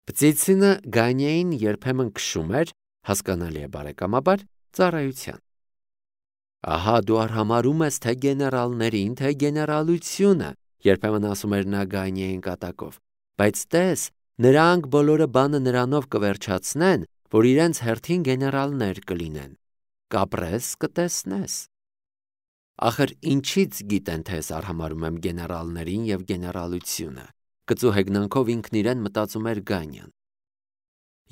Պծիցինը Գանյային երբեմն քշում էր, հասկանալի է բարեկամաբար, ծառայության։ Ահա դու արհամարում ես թե գեներալներին, թե գեներալությունը, երբեմն ասում էր նա Գանյային կատակով, բայց տես, նրանք բոլորը բանը նրանով կվերջացնեն, որ իրենց հերթին գեներալներ կլինեն, կապրես կտեսնես։ Ախր ինչից գիտեն, թե ես արհամարում եմ գեներալներին և գեներալությունը, կծու հեգնանքով ինքն իրեն մտածում էր Գանյան։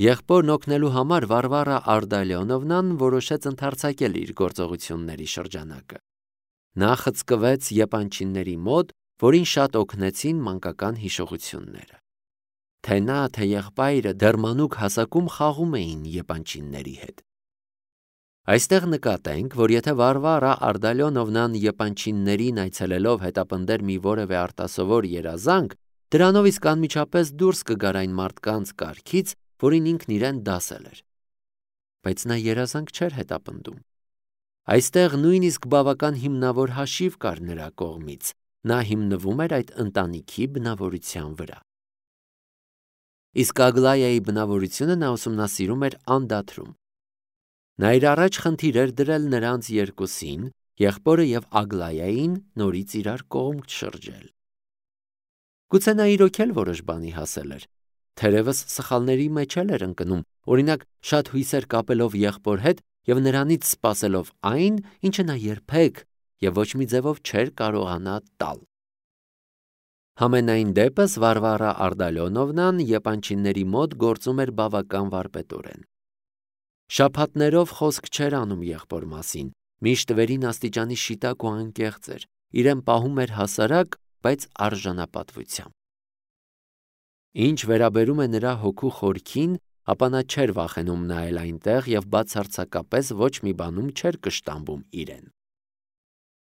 Եղբորն օգնելու համար Վարվարա Արտալիոնովնան որոշեց ընդարձակել իր գործողությունների շրջանակը։ Նա խցկվեց եպանչիների մոտ, որին շատ օգնեցին մանկական հիշողությունները։ Թե նա, թե եղբայրը դեռ մանուկ հասակում խաղում էին եպանչիների հետ։ Այստեղ նկատենք, որ եթե Վարվարա Արտալիոնովնան եպանչիներին այցելելով հետապնդեր մի որևէ արտասովոր երազանք, դրանով իսկ անմիջապես դուրս կգար այն մարդկանց կարգից, որին ինքն իրեն դասել էր։ Բայց նա երազանք չէր հետապնդում։ Այստեղ նույնիսկ բավական հիմնավոր հաշիվ կար նրա կողմից, նա հիմնվում էր այդ ընտանիքի բնավորության վրա։ Իսկ Ագլայայի բնավորությունը նա ուսումնասիրում էր անդադրում։ Նա իր առաջ խնդիր էր դրել նրանց երկուսին, եղբորը և Ագլայային նորից իրար կողմ շրջել։ Գուցե նա իրոք էլ որոշ բանի հասել էր, թերևս սխալների մեջ էր ընկնում, օրինակ շատ հույսեր կապելով եղբոր հետ և նրանից սպասելով այն, ինչը նա երբեք և ոչ մի ձևով չէր կարողանա տալ։ Համենայն դեպս Վարվարա Արտալիոնովնան եպանչիների մոտ գործում էր բավական վարպետորեն։ Շաբաթներով խոսք չէր անում եղբոր մասին, միշտ վերին աստիճանի շիտակ ու անկեղծ էր, իրեն պահում էր հասարակ, բայց արժանապատվությամբ։ Ինչ վերաբերում է նրա հոգու խորքին, ապա նա չէր վախենում նայել այնտեղ և բացարձակապես ոչ մի բանում չէր կշտամբում իրեն։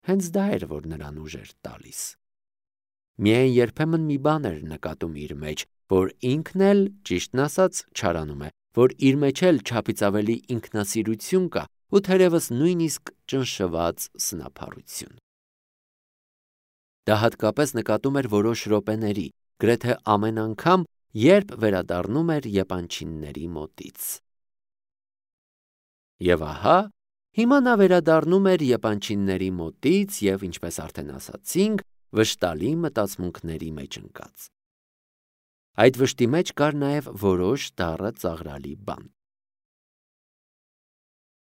Հենց դա էր, որ նրան ուժ էր տալիս։ Միայն երբեմն մի բան էր նկատում իր մեջ, որ ինքն էլ, ճիշտն ասած, չարանում է, որ իր մեջ էլ չափից ավելի ինքնասիրություն կա ու թերևս նույնիսկ ճնշված սնափառություն։ Դա հատկապես նկատում էր որոշ րոպեների, գրեթե ամեն անգամ, երբ վերադառնում էր եպանչիների մոտից։ Եվ ահա, հիմա նա վերադառնում էր եպանչիների մոտից և, ինչպես արդեն ասացինք, վշտալի մտածմունքների մեջ ընկած։ Այդ վշտի մեջ կար նաև որոշ դառը ծաղրալի բան։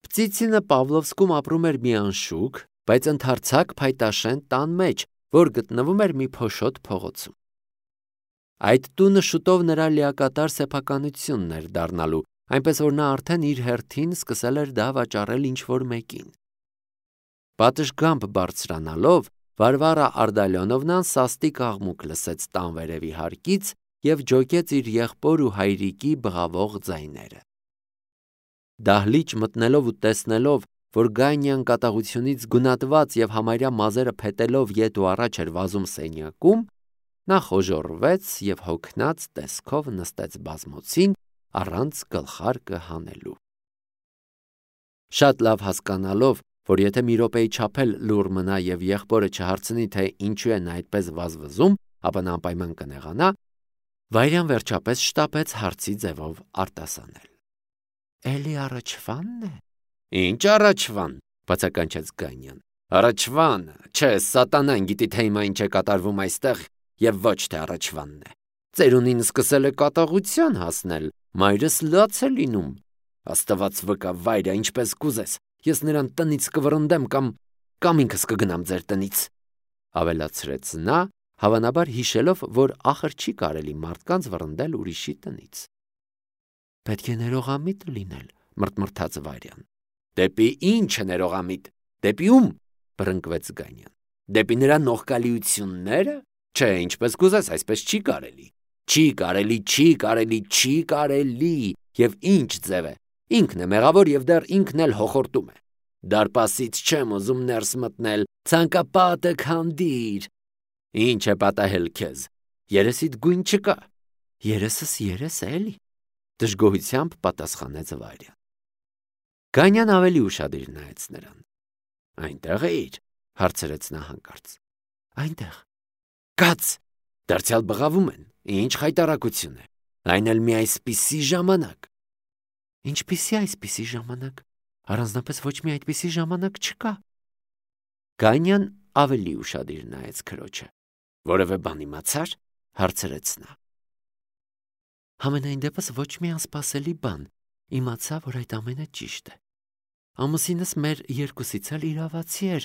Պծիցինը Պավլովսկում ապրում էր մի անշուք, բայց ընդարձակ փայտաշեն տան մեջ, որ գտնվում էր մի փոշոտ փողոցում։ Այդ տունը շուտով նրա լիակատար սեփականությունն էր դառնալու, այնպես որ նա արդեն իր հերթին սկսել էր դա վաճառել ինչ-որ մեկին։ Պատշգամբ բարձրանալով, Վարվարա Արտալիոնովնան սաստիկ աղմուկ լսեց տան վերևի հարկից և ջոկեց իր եղբոր ու հայրիկի բղավող ձայները։ Դահլիճ մտնելով ու տեսնելով, որ Գանյան կատաղությունից գունատված և համարյա մազերը փետելով ետ ու առաջ էր վազում սենյակում, նա խոժոռվեց և հոգնած տեսքով նստեց բազմոցին առանց գլխարկը հանելու։ Շատ լավ հասկանալով, որ եթե մի րոպեի չափ էլ լուռ մնա և եղբորը չհարցնի, թե ինչու է նա այդպես վազվզում, ապա նա անպայման կնեղանա, Վայրյան վերջապես շտապեց հարցի ձևով արտասանել։ Էլի առաջվա՞նն է։ Ինչ առաջվան, բացականչեց Գանյան։ Առաջվան, չէ, սատանան գիտի թե հիմա ինչ է կատարվում այստեղ և ոչ թե առաջվանն է։ Ծերունին սկսել է կատաղության հասնել, մայրս լաց է լինում։ Աստված վկա, վայրը, ինչպես կուզես, ես նրան տնից կվռնդեմ կամ ինքս կգնամ ձեր տնից, ավելացրեց նա, հավանաբար հիշելով, որ ախր չի կարելի մարդկանց վռնդել ուրիշի տնից։ Պետք է ներողամիտ լինել, մրթմրթաց Վարյան։ Դեպի ինչ է ներողամիտ, դեպի ում, բռնկվեց Գանյան։ Դեպի նրա նողկալիությունները։ Չէ, ինչպես կուզես, այսպես չի կարելի։ Չի կարելի, և ինչ ձև է, ինքն է մեղավոր և դեռ ինքն էլ հոխորտում է։ Դարպասից չեմ ուզում ներս մտնել, ցանկապատը քանդիր։ Ինչ է պատահել քեզ, երեսիդ գույն չկա։ Երեսս երես է էլի, դժգոհությամբ պատասխանեց Վարյան։ Գանյան ավելի ուշադիր նայեց նրան։ Այնտեղ էիր, հարցրեց նա հանկարծ։ Այնտեղ։ Կաց, դարձյալ բղավում են, ինչ խայտառակություն է։ Այն էլ մի այսպիսի ժամանակ։ Ինչպիսի այսպիսի ժամանակ։ Առանձնապես ոչ մի այդպիսի ժամանակ չկա։ Գանյան ավելի ուշադիր նայեց քրոջը։ Որևէ բան իմացա՞ր, հարցրեց նա։ Համենայն դեպս ոչ մի անսպասելի բան։ Իմացա, որ այդ ամենը ճիշտ է։ Ամուսինս մեր երկուսից էլ իրավացի էր,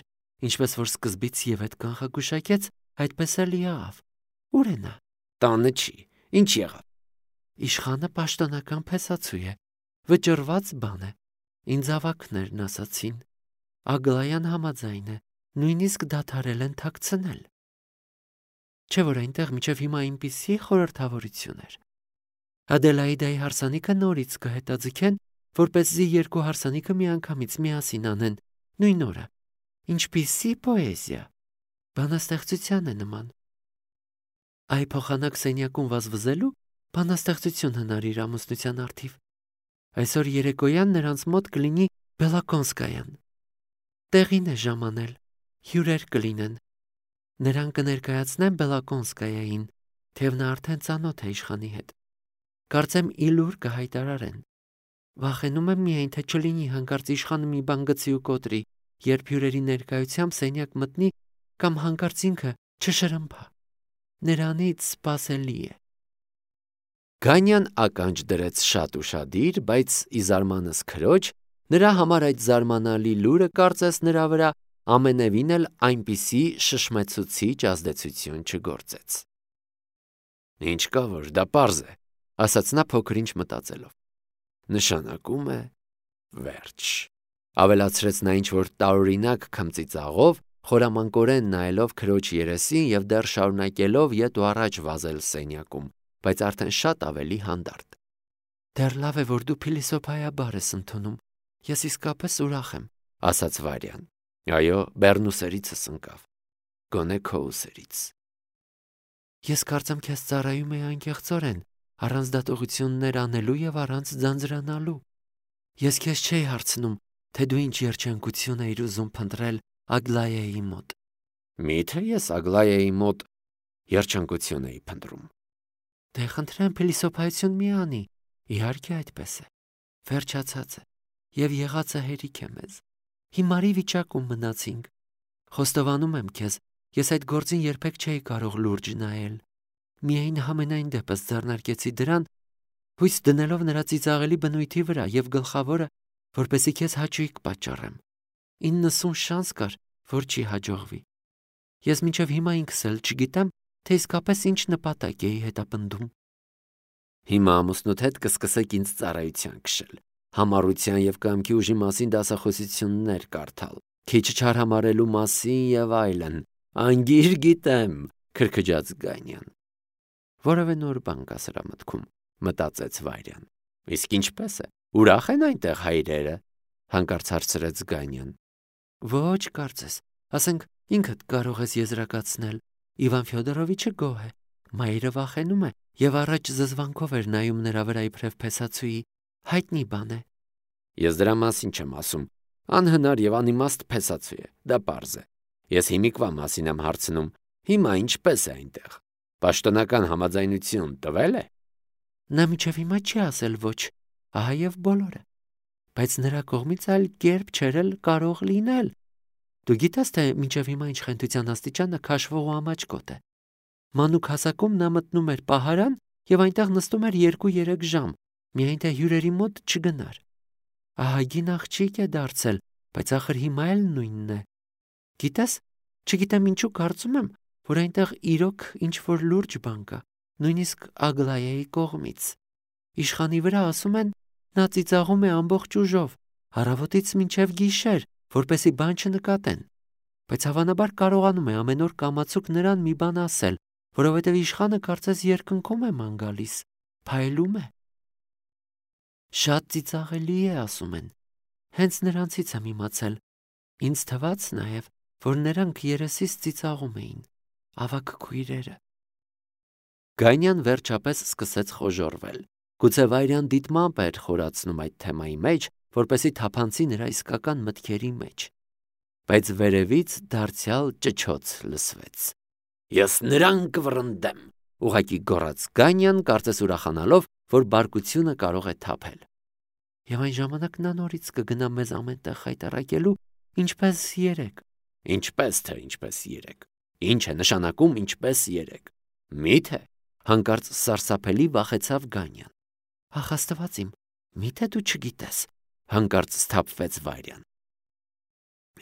ինչպես որ սկզբից եւ այդ կանխագուշակեց, այդպես էլ եղավ։ Ուր է նա։ Տանը չի։ Ինչ եղավ։ Իշխանը պաշտոնական փեսացու է։ Վճռված բան է։ Ինձ ավակներն ասացին։ Ագլայան համաձայն է, նույնիսկ դադարել են թաքցնել։ Չէ՞ որ այնտեղ մինչև հիմա այնպիսի խորհրդավորություն էր։ Ադելայիդայի հարսանիքը նորից կհետաձգեն, որպեսզի երկու հարսանիքը միանգամից միասին անեն, նույն օրը։ Ինչպիսի պոեզիա։ Բանաստեղծության է նման։ Այ փոխանակ սենյակում վազվզելու բանաստեղծություն հնարիր ամուսնության արդիվ։ Այսօր երեկոյան նրանց մոտ կլինի Բելակոնսկայան։ Տեղին է ժամանել, հյուրեր կլինեն։ Նրան կներկայացնեն Բելակոնսկայային, թեև նա արդեն ծանոթ է իշխանի հետ։ Կարծեմ իլուր կհայտարարեն։ Վախենում եմ միայն, թե չլինի հանկարծ իշխանը մի բան գցի ու կոտրի, երբ հյուրերի ներկայությամբ սենյակ մտնի կամ հանկարծ ինքը չշրմփա։ Նրանից սպասելի է։ Գանյան ականջ դրեց շատ ուշադիր, բայց ի զարմանս քրոջ, նրա համար այդ զարմանալի լուրը կարծես նրա վրա ամենևին էլ այնպիսի շշմեցուցիչ ազդեցություն չգործեց։ Ինչ կա որ, դա պարզ է, ասաց նա փոքր-ինչ մտածելով։ Նշանակում է վերջ։ Ավելացրեց նա ինչ-որ տարօրինակ քմծիծաղով, խորամանկորեն նայելով քրոջ երեսին եւ դեռ շարունակելով ետ ու առաջ վազել սենյակում, բայց արդեն շատ ավելի հանդարտ։ Դեռ լավ է, որ դու փիլիսոփայաբար ես ընդունում։ Ես իսկապես ուրախ եմ, ասաց Վարյան։ Այո, Բեռնուսերիցս ընկավ։ Գոնե քո ուսերից։ Ես կարծեմ քեզ ծառայում է անկեղծորեն, առանց դատողություններ անելու եւ առանց ձանձրանալու։ Ես քեզ չէի հարցնում, թե դու ինչ երջանկություն ես ուզում փնտրել Ագլայայի մոտ։ Միթե ես Ագլայայի մոտ երջանկություն էի փնտրում։ Դե խնդրեմ փիլիսոփայություն մի անի։ Իհարկե այդպես է։ Վերջացած է եւ եղածը հերիք է մեզ։ Հիմարի վիճակում մնացինք։ Խոստովանում եմ քեզ, ես այդ գործին երբեք չէի կարող լուրջ նայել։ Միայն համենայն դեպս ձեռնարկեցի դրան, հույս դնելով նրա ծիծաղելի բնույթի վրա եւ գլխավորը, որպեսզի քեզ հաճույք պատճառեմ։ 90 շանս կար, որ չի հաջողվի։ Ես մինչև հիմա ինքս էլ չգիտեմ, թե իսկապես ինչ նպատակ էի հետապնդում։ Հիմա ամուսնուդ հետ կսկսեք ինձ ծառայության քշել, համառության եւ կամքի ուժի մասին դասախոսություններ կարդալ, քիչ չարհամարելու մասին եւ այլն։ Անգիր գիտեմ, քրքջաց Գանյան։ Որևէ նոր բան կա սրա մտքում, մտածեց Վարյան։ Իսկ ինչպես է։ Ուրախ են այնտեղ հայրերը, հանկարծ հարցրեց Գանյան։ Ոչ, կարծես, ասենք ինքդ կարող ես եզրակացնել։ Իվան Ֆյոդորովիչը գոհ է, մայրը վախենում է եւ առաջ զզվանքով էր նայում նրա վրա իբրև փեսացուի, հայտնի բան է։ Ես դրա մասին չեմ ասում, անհնար եւ անիմաստ փեսացու է, դա պարզ է։ Ես հիմիկվա մասին եմ հարցնում, հիմա ինչպես է այնտեղ։ Պաշտոնական համաձայնություն տվել է։ Նա մինչև հիմա չի ասել ոչ, ահա եւ բոլորը։ Բայց նրա կողմից այլ կերպ չերել կարող լինել։ Դու գիտես, թե մինչև հիմա ինչ խենթության աստիճանը քաշվող ու ամաչկոտ է։ Մանուկ հասակում նա մտնում էր պահարան եւ այնտեղ նստում էր 2-3 ժամ, միայն թե հյուրերի մոտ չգնար։ Ահագին աղջիկ է դարձել, բայց ախր հիմա էլ նույնն է։ Գիտես, չգիտեմ ինչու կարծում եմ, որ այնտեղ իրոք ինչ-որ լուրջ բան կա, նույնիսկ Ագլայայի կողմից։ Իշխանի վրա ասում են, նա ծիծաղում է ամբողջ ուժով, առավոտից մինչև գիշեր, որպեսի բան չնկատեն։ Բայց հավանաբար կարողանում է ամեն օր կամացուկ նրան մի բան ասել, որովհետև իշխանը կարծես երկնքում է ման գալիս, փայլում է։ Շատ ծիծաղելի է, ասում են։ Հենց նրանցից եմ իմացել։ Ինձ թվաց նաև, որ նրանք երեսից ծիծաղում էին, ավագ քույրերը։ Գանյան վերջապես սկսեց խոժոռվել։ Գուցե Վայրյան դիտմամբ էր խորացնում այդ թեմայի մեջ, որպեսզի թափանցի նրա իսկական մտքերի մեջ։ Բայց վերևից դարձյալ ճչոց լսվեց։ Ես նրան կվռնդեմ, Ուղղակի գոռաց Գանյան, կարծես ուրախանալով, որ բարկությունը կարող է թափել։ Եվ այն ժամանակ նա նորից կգնա մեզ ամեն տեղ խայտառակելու, ինչպես երեք։ Ինչպես թե ինչպես երեք։ Ինչ է նշանակում ինչպես երեք։ Մի՞թե, հանկարծ սարսափելի վախեցավ Գանյան։ Ախ Աստված իմ, մի՞թե դու չգիտես, հանկարծ սթափվեց Վարյան։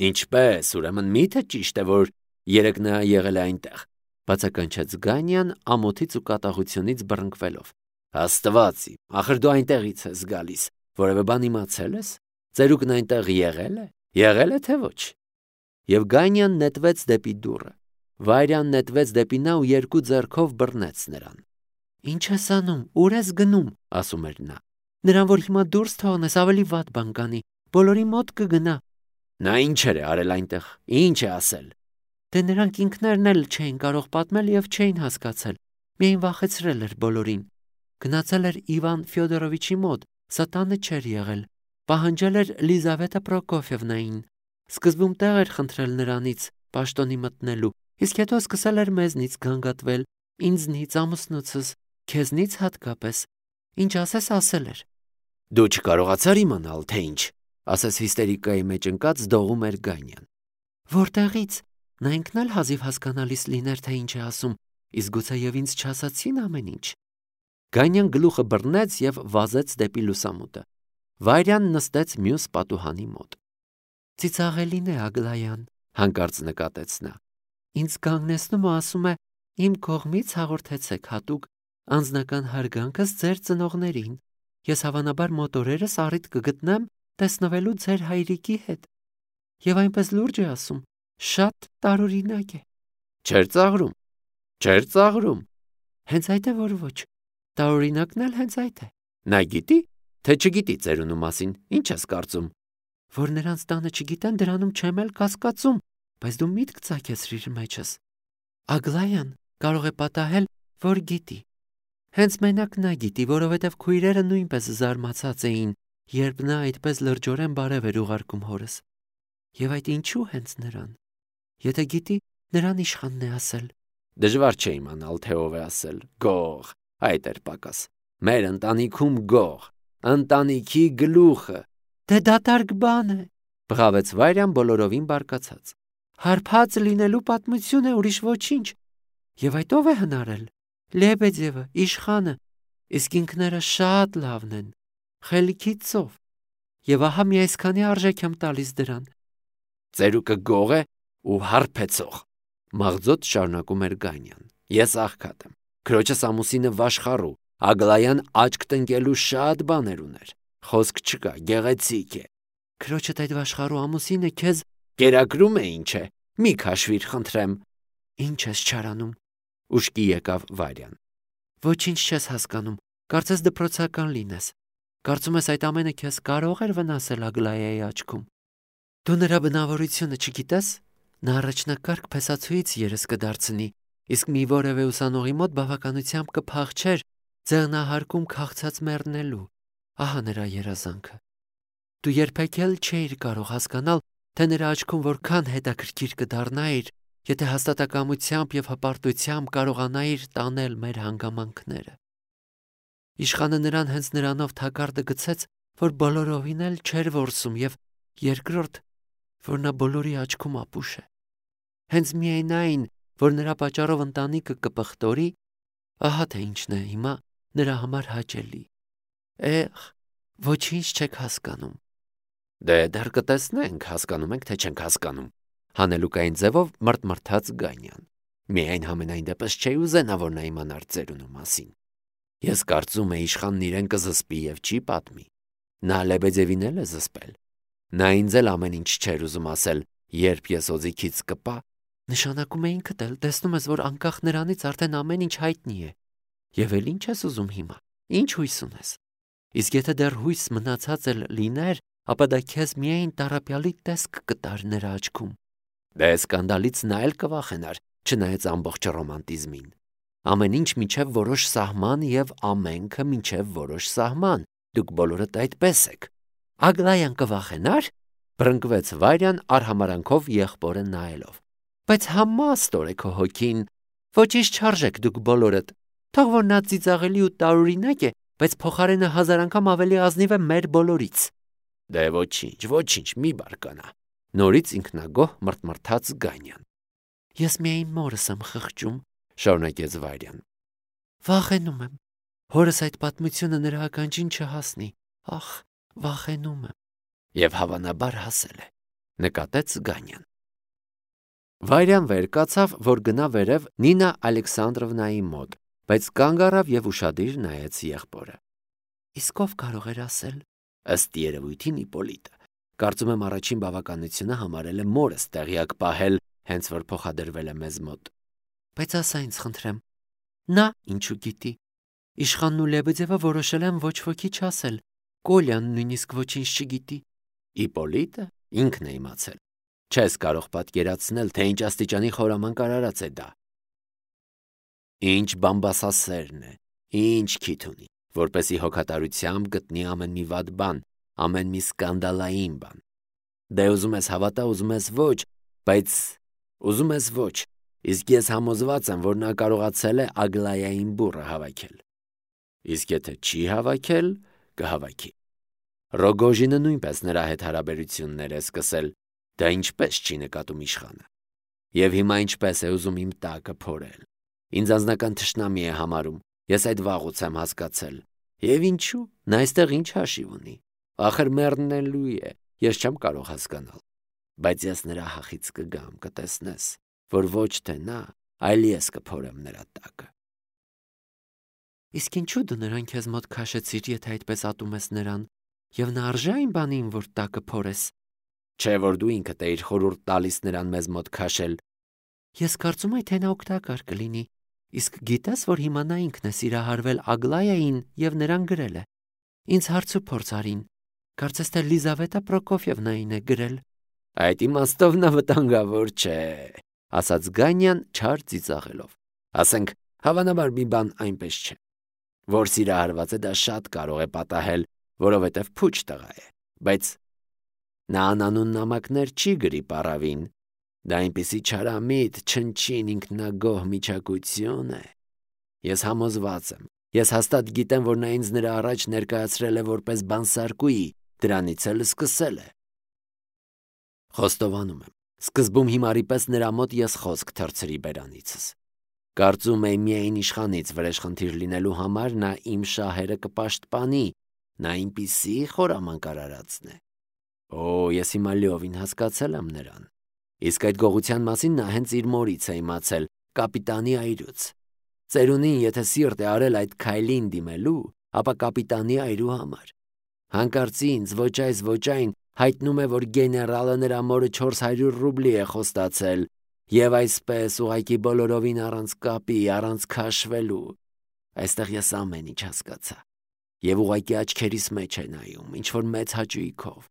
Ինչպես, ուրեմն մի՞թե ճիշտ է, որ երեք նա եղել է այնտեղ, բացականչեց Գանյան ամոթից ու կատաղությունից բռնկվելով։ Աստված իմ, ախր դու այնտեղից ես գալիս, որևէ բան իմացել ես։ Ծերուկն այնտեղ եղել է թե ոչ։ Եվ Գանյան նետվեց դեպի դուռը։ Վարյան նետվեց դեպի նա ու երկու ձեռքով բռնեց նրան։ Ինչ ես անում, ուր ես գնում, ասում էր նա։ Նրան որ հիմա դուրս թողնես, ավելի վատ բան կանի, բոլորի մոտ կգնա։ Նա ինչեր է արել այնտեղ, ինչ է ասել։ Դե նրանք ինքներն էլ չէին կարող պատմել եւ չէին հասկացել, միայն վախեցրել էր բոլորին։ Գնացել էր Իվան Ֆյոդորովիչի մոտ, սատանը չէր եղել, պահանջել էր Լիզավետա Պրոկոֆիևնային, սկզբում տեղ էր խնդրել նրանից պաշտոնի մտնելու, իսկ հետո սկսել էր մեզնից գանգատվել, ինձնից, ամուսնուցս, քեզնից հատկապես, ինչ ասես ասել էր։ Դու չկարողացար իմանալ, թե ինչ, ասես հիստերիկայի մեջ ընկած դողում էր Գանյան։ Որտեղից, նա ինքն էլ հազիվ հասկանալիս լիներ, թե ինչ է ասում, իսկ գուցե եւ ինձ չասացին ամեն ինչ։ Գանյան գլուխը բռնեց եւ վազեց դեպի լուսամուտը։ Վարյան նստեց մյուս պատուհանի մոտ։ Ծիծաղելին է Ագլայան, հանկարծ նկատեց նա։ Ինձ կանգնեցնում ու ասում է. իմ կողմից հաղորդեցեք հատուկ անձնական հարգանքս ձեր ծնողներին։ Ես հավանաբար մոտ օրերս առիթ կգտնեմ տեսնվելու ձեր հայրիկի հետ։ Եվ այնպես լուրջ է ասում, շատ տարօրինակ է։ Չէր ծաղրում։ Հենց այդ է, որ ոչ։ Տարօրինակն էլ հենց այդ է։ Նա գիտի, թե չգիտի ծերունու մասին, ինչ ես կարծում։ Որ նրանց տանը չգիտեն, դրանում չեմ էլ կասկածում, բայց դու միտք ծագեցրիր մեջս։ Ագլայան կարող է պատահել, որ գիտի։ Հենց մենակ նա գիտի, որովհետև քույրերը նույնպես զարմացած էին, երբ նա այդպես լրջորեն բարև էր ուղարկում հորս։ Եվ այդ ինչու հենց նրան։ Եթե գիտի, նրան իշխանն է ասել։ Դժվար չէ իմանալ, թե ով է ասել։ Գող, այդ էր պակաս։ Մեր ընտանիքում գող, ընտանիքի գլուխը։ Դե դատարկ բան է, բղավեց Վարյան բոլորովին բարկացած։ Հարբած լինելու պատմություն է, ուրիշ ոչինչ։ Եվ այդ ով է հնարել։ Լեբեդևը, իշխանը, իսկ ինքները շատ լավն են, խելքի ծով։ Եվ ահա մի այսքանի արժեք եմ տալիս դրան։ Ծերուկը գող է ու հարբեցող, մաղձոտ շարունակում էր Գանյան։ Ես աղքատ եմ, քրոջս ամուսինը վաշխառու, Ագլայան աչք տնկելու շատ բաներ ուներ։ Խոսք չկա, գեղեցիկ է։ Քրոջդ այդ վաշխառու ամուսինը քեզ կերակրում է, ինչ է։ Մի քաշվիր, խնդրեմ։ Ինչ ես չարանում։ Ուշքի եկավ Վարյան։ Ոչինչ չես հասկանում, կարծես դպրոցական լինես։ Կարծում ես այդ ամենը քեզ կարող էր վնասել Ագլայայի աչքում։ Դու նրա բնավորությունը չգիտես։ Նա առաջնակարգ փեսացուից երես կդարձնի, իսկ մի որևէ ուսանողի մոտ բավականությամբ կփախչեր ձեղնահարկում քաղցած մեռնելու։ Ահա նրա երազանքը։ Դու երբեք էլ չէիր կարող հասկանալ, թե նրա աչքում որքան հետաքրքիր կդառնայիր, եթե հաստատակամությամբ եւ հպարտությամբ կարողանայիր տանել մեր հանգամանքները։ Իշխանը նրան հենց նրանով թակարդը գցեց, որ բոլորովին էլ չէր որսում եւ երկրորդ, որ նա բոլորի աչքում ապուշ է։ Հենց միայն այն, որ նրա պատճառով ընտանիքը կպղտորի, ահա թե ինչն է հիմա նրա համար հաճելի։ Ոչինչ չեք հասկանում։ Դե դեռ կտեսնենք, հասկանում ենք, թե չենք հասկանում։ Հանելուկային ձևով մրթմրթաց Գանյան։ Միայն համենայն դեպս չէի ուզենա, որ նա իմանար ծերունու մասին։ Ես կարծում եմ իշխանն իրեն կզսպի եւ չի պատմի։ Նա Լեբեդևին էլ է զսպել։ Նա ինձ էլ ամեն ինչ չէր ուզում ասել, երբ ես օձիքից կպա։ Նշանակում է ինքդ էլ տեսնում ես, որ անկախ նրանից արդեն ամեն ինչ հայտնի է։ Եվ էլ ինչ ես ուզում հիմա։ Ինչ հույս ունես։ Իսկ եթե դեռ հույս մնացած էլ լիներ, ապա դա քեզ միայն տարապյալի տեսք կտար նրա աչքում։ Դե սկանդալից նա էլ կվախենար, չնայած ամբողջ ռոմանտիզմին։ Ամեն ինչ մինչև որոշ սահման եւ ամենքը մինչև որոշ սահման։ Դուք բոլորդ այդպես եք։ Ագլայան կվախենար, բռնկվեց Վարյան արհամարանքով եղբորը նայելով։ Բայց համաստոր է քո հոգին։ Ոչինչ չարժեք դուք բոլորդ, Թող որ նա ծիծաղելի ու տարօրինակ է, բայց փոխարենը 1000 անգամ ավելի ազնիվ է մեր բոլորից։ Դե ոչինչ, մի բարկանա։ Նորից ինքնագոհ մռթմռթաց Գանյան։ Ես միայն մորս եմ խղճում, շարունակեց Վարյան։ Վախենում եմ։ Հորս այդ պատմությունը նրա ականջին չհասնի։ Ախ, վախենում եմ։ Եվ հավանաբար հասել է, նկատեց Գանյան։ Վարյան վեր կացավ, որ գնա վերև Նինա Ալեքսանդրովնայի մոտ, բայց կանգ առավ եւ ուշադիր նայեց եղբորը։ Իսկ ով կարող էր ասել։ Ըստ երևույթին Իպոլիտը։ Կարծում եմ առաջին բավականությունը համարել է մորս տեղյակ պահել, հենց որ փոխադրվել է մեզ մոտ։ Բայց ասա ինձ խնդրեմ, նա ինչու գիտի։ Իշխանն ու Լեբեդևը որոշել են ոչ ոքի չասել։ Կոլյան նույնիսկ ոչինչ չգիտի։ Իպոլիտը ինքն է իմացել։ Չես կարող պատկերացնել, թե ինչ աստիճանի խորամանկ արարած է դա։ Ինչ բամբասասերն է, ինչ քիթ ունի, որպեսի հոգատարությամբ գտնի ամեն մի վատ բան, ամեն մի սկանդալային բան։ Դե ուզում ես հավատա, ուզում ես ոչ, բայց ուզում ես ոչ, իսկ ես համոզված եմ, որ նա կարողացել է Ագլայային բուռը հավաքել։ Իսկ եթե չի հավաքել, կհավաքի։ Ռոգոժինը նույնպես նրա հետ հարաբերություններ է սկսել, դա ինչպես չի նկատում իշխանը։ Եվ հիմա ինչպես է ուզում իմ տակը փորել։ Ինձ անձնական թշնամի է համարում, ես այդ վաղուց եմ հասկացել։ Եվ ինչու, նա այստեղ ինչ հաշիվ ունի։ Ախր մեռնելու է, ես չեմ կարող հասկանալ։ Բայց ես նրա հախից կգամ, կտեսնես, որ ոչ թե նա, այլ ես կփորեմ նրա տակը։ Իսկ ինչու դու նրան քեզ մոտ քաշեցիր, եթե այդպես ատում ես նրան, եւ նա արժե այն բանին, որ տակը փորես։ Չէ՞ որ դու ինքդ էիր խորհուրդ տալիս նրան մեզ մոտ քաշել։ Ես կարծում եմ, թե նա օգտակար կլինի։ Իսկ գիտես, որ հիմա նա ինքն է սիրահարվել Ագլայային եւ նրան գրել է։ Ինձ հարց ու փորձ արին։ Կարծես թե Լիզավետա Պրոկոֆիևնային է գրել։ Այդ իմաստով նա վտանգավոր չէ, ասաց Գանյան չար ծիծաղելով։ Ասենք, հավանաբար մի բան այնպես չէ, որ սիրահարված է, դա շատ կարող է պատահել, որովհետև փուչ տղա է, բայց նա անանուն նամակներ չի գրի պարավին, դա այնպիսի չարամիտ, չնչին ինքնագոհ միջակույցություն է։ Ես համոզված եմ, ես հաստատ գիտեմ, որ նա ինձ նրա առաջ ներկայացրել է որպես բանսարկուի, դրանից էլ սկսել է։ Խոստովանում եմ, սկզբում հիմարի պես նրա մոտ ես խոսք թռցրի բերանիցս։ Կարծում եմ միայն իշխանից վրեժխնդիր լինելու համար նա իմ շահերը կպաշտպանի, նա այնպիսի խորամանկ արարածն է։ Ես հիմա լիովին հասկացել եմ նրան։ Իսկ այդ գողության մասին նա հենց իր մորից է իմացել, կապիտանի այրուց։ Ծերունին եթե սիրտ է արել այդ քայլին դիմելու, ապա կապիտանի այրու համար։ Հանկարծի ինձ ոչ այս ոչ այն հայտնում է, որ գեներալը նրա մորը 400 ռուբլի է խոստացել, եւ այսպես ուղղակի բոլորովին առանց կապի, առանց քաշվելու։ Այստեղ ես ամեն ինչ հասկացա։ Եվ ուղղակի աչքերիս մեջ է նայում, ինչ որ մեծ հաճույքով։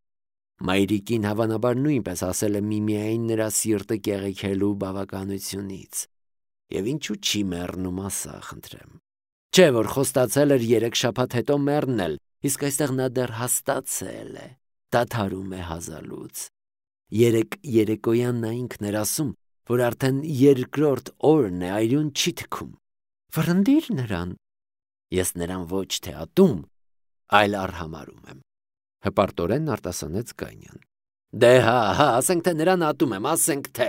Մայրիկին հավանաբար նույնպես ասել է միմիային նրա սիրտը կեղեքելու բավականությունից։ Եվ ինչու չի մեռնում, ասա, խնդրեմ։ Չէ՞ որ խոստացել էր 3 շաբաթ հետո մեռնել, իսկ այստեղ նա դեռ հաստացել է, դադարում է հազալուց։ Երեկոյան նա ինքն էր ասում, որ արդեն 2-րդ օրն է այրուն չի թքում։ Վռնդիր նրան։ Ես նրան ոչ թե ատում, այլ արհամարում եմ։ Հպարտորեն արտասանեց Գանյան։ Դե հա, ասենք թե նրան ատում եմ, ասենք թե։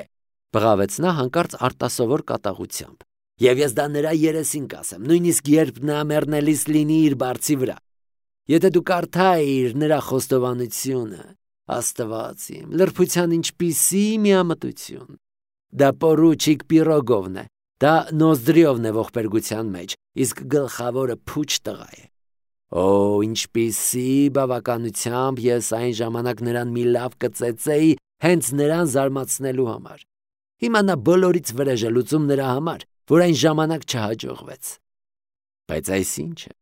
Բղավեց նա հանկարծ արտասովոր կատաղությամբ։ Եվ ես դա նրա երեսին կասեմ, նույնիսկ երբ նա մեռնելիս լինի իր բարձի վրա։ Եթե դու կարդայիր նրա խոստովանությունը, Աստված իմ, լրբության ինչպիսի միամտություն։ Դա պորուչիկ Պիրոգովն է, դա Նոզդրիովն է ողբերգության մեջ, իսկ գլխավորը փուչ տղա է։ Ինչպիսի բավականությամբ ես այն ժամանակ նրան մի լավ կծեծեի հենց նրան զարմացնելու համար։ Հիմա նա բոլորից վրեժ է լուծում նրա համար, որ այն ժամանակ չհաջողվեց։ Բայց այս ինչ է։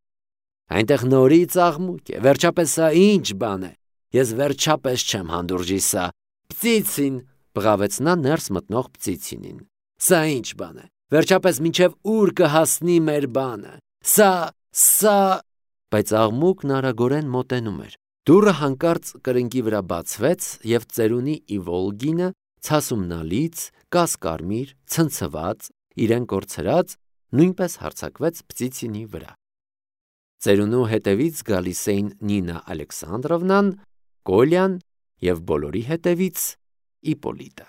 Այնտեղ նորից աղմուկ է, վերջապես սա ինչ բան է։ Ես վերջապես չեմ հանդուրժի սա։ Պծիցին, բղավեց նա ներս մտնող Պծիցինին։ Սա ինչ բան է։ Վերջապես մինչև ուր կհասնի մեր բանը։ Սա Բայց աղմուկն արագորեն մոտենում էր։ Դուռը հանկարծ կրնկի վրա բացվեց, եւ ծերունի Իվոլգինը ցասումնալից, կասկարմիր, ցնցված, իրեն կորցրած, նույնպես հարձակվեց Պտիցինի վրա։ Ծերունու հետևից գալիս էին Նինա Ալեքսանդրովնան, Կոլյան և բոլորի հետևից Իպոլիտը։